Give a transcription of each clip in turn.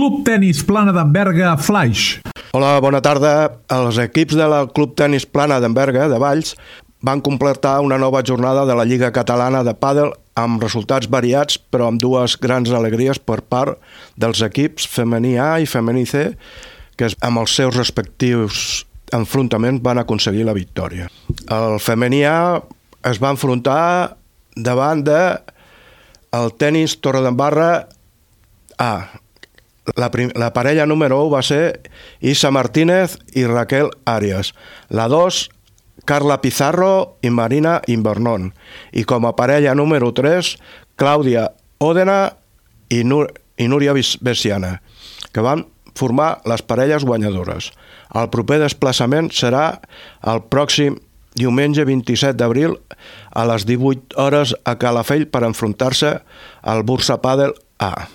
Club Tenis Plana d'Enverga Flaix. Hola, bona tarda. Els equips del Club Tenis Plana d'Enverga de Valls van completar una nova jornada de la Lliga Catalana de Pàdel amb resultats variats, però amb dues grans alegries per part dels equips femení A i femení C, que amb els seus respectius enfrontaments van aconseguir la victòria. El femení A es va enfrontar davant el tenis Torredembarra A. La parella número 1 va ser Isa Martínez i Raquel Arias. La 2, Carla Pizarro i Marina Invernon. I com a parella número 3, Clàudia Òdena i Núria Bessiana, que van formar les parelles guanyadores. El proper desplaçament serà el pròxim diumenge 27 d'abril a les 18 hores a Calafell per enfrontar-se al Bursa Pàdel A.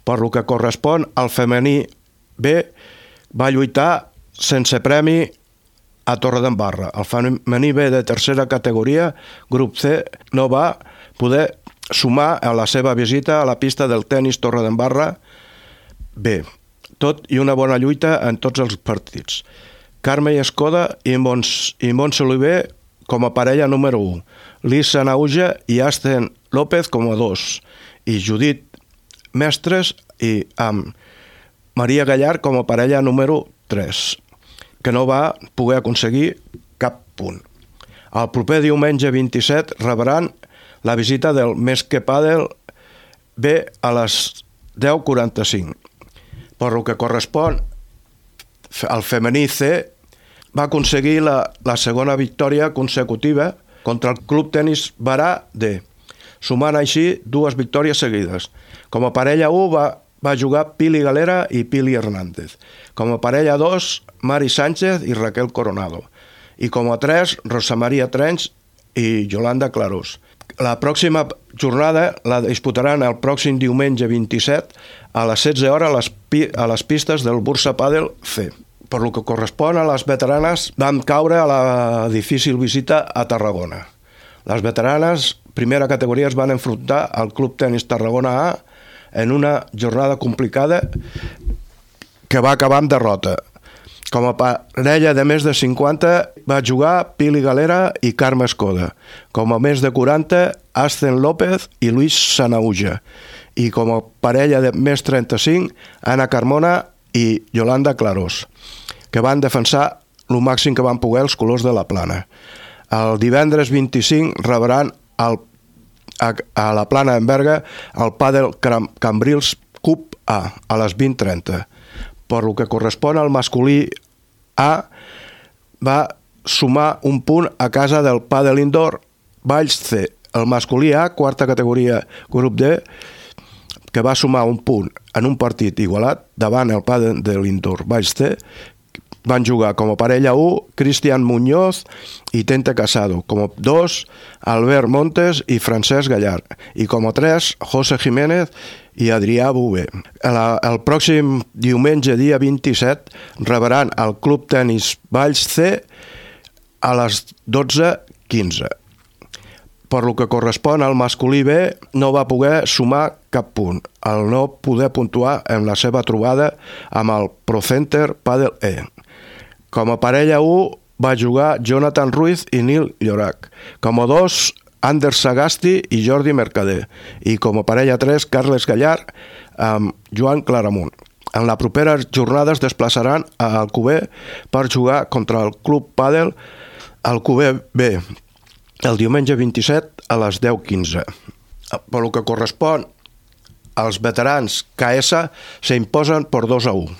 Per lo que correspon al femení B, va lluitar sense premi a Torredembarra. El femení B de tercera categoria, grup C, no va poder sumar a la seva visita a la pista del tenis Torredembarra B. Tot i una bona lluita en tots els partits. Carme Escoda i Montse Oliver com a parella número 1. Lisa Nauja i Asten López com a 2. I Judit Mestres i amb Maria Gallar com a parella número 3, que no va poder aconseguir cap punt. El proper diumenge 27 rebran la visita del Mesque Pàdel B a les 10:45. Per lo que correspon al femení C, va aconseguir la segona victòria consecutiva contra el Club Tenis Barà D, sumant així dues victòries seguides. Com a parella 1 va jugar Pili Galera i Pili Hernández. Com a parella 2, Mari Sánchez i Raquel Coronado. I com a 3, Rosa Maria Trench i Yolanda Clarós. La pròxima jornada la disputaran el pròxim diumenge 27 a les 16 hores a les pistes del Bursa Pàdel C. Per lo que correspon a les veteranes, van caure a la difícil visita a Tarragona. Les veteranes, primera categoria, es van enfrontar al Club Tenis Tarragona A en una jornada complicada que va acabar amb derrota. Com a parella de més de 50 va jugar Pili Galera i Carme Escoda. Com a més de 40, Asten López i Luis Sanauja. I com a parella de més 35, Ana Carmona i Yolanda Clarós, que van defensar el màxim que van poder els colors de la Plana. El divendres 25 rebran a la Plana d'Enverga el Pàdel Cambrils Cup A a les 20:30. Per lo que correspon al masculí A, va sumar un punt a casa del Pàdel Indoor Valls C. El masculí A, quarta categoria grup D, que va sumar un punt en un partit igualat davant el Pàdel de l'Indoor Valls C. Van jugar com a parella 1 Cristian Muñoz i Tente Casado, com a 2 Albert Montes i Francesc Gallar, i com a 3 José Jiménez i Adrià Bové. El pròxim diumenge, dia 27, rebran el Club Tenis Valls C a les 12:15. Per lo que correspon al masculí B, no va poder sumar cap punt, al no poder puntuar en la seva trobada amb el Procenter Pàdel E. Com a parella 1 va jugar Jonathan Ruiz i Nil Llorac. Com a 2, Anders Sagasti i Jordi Mercader. I com a parella 3, Carles Gallar amb Joan Claramunt. En la propera jornada es desplaçaran a Alcover per jugar contra el Club Pàdel Alcover B el diumenge 27 a les 10:15. Per lo que correspon als veterans KS s'imposen per 2-1,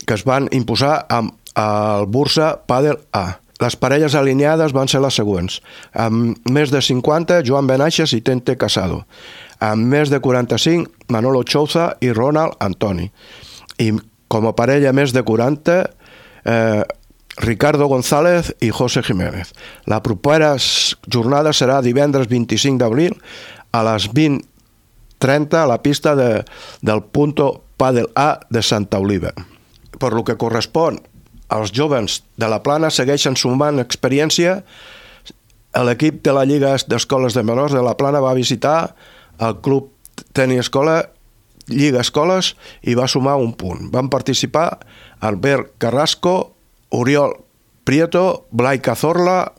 que es van imposar amb el Bursa Pàdel A. Les parelles alineades van ser les següents. Amb més de 50, Joan Benaixes i Tente Casado. Amb més de 45, Manolo Chouza i Ronald Antoni. I com a parella més de 40, Ricardo González i José Jiménez. La propera jornada serà divendres 25 d'abril a les 20:30 a la pista del Punto Pàdel A de Santa Oliva. Per lo que correspon als jóvens de la Plana, segueixen sumant experiència. L'equip de la Lliga d'Escoles de Menors de la Plana va visitar el Club Tenis Escola Lliga Escoles i va sumar un punt. Van participar Albert Carrasco, Oriol Prieto, Blai Cazorla,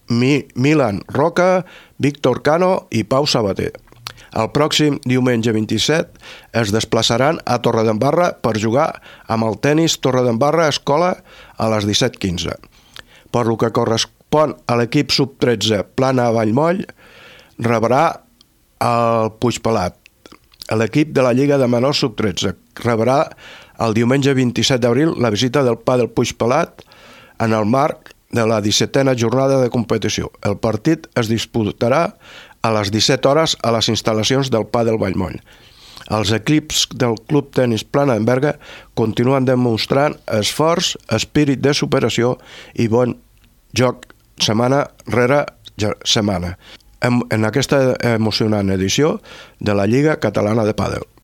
Milan Roca, Víctor Cano i Pau Sabater. El pròxim diumenge 27 es desplaçaran a Torredembarra per jugar amb el tenis Torredembarra Escola a les 17:15. Per lo que correspon a l'equip sub-13 Plana Vallmoll, rebrà el Puigpelat. L'equip de la Lliga de Menors sub-13 rebrà el diumenge 27 d'abril la visita del Pàdel Puigpelat en el marc de la 17a jornada de competició. El partit es disputarà a les 17 hores a les instal·lacions del Pàdel Vallmoll. Els equips del Club Tenis Plana d'en Berga continuen demostrant esforç, espírit de superació i bon joc setmana rere setmana en aquesta emocionant edició de la Lliga Catalana de Pàdel.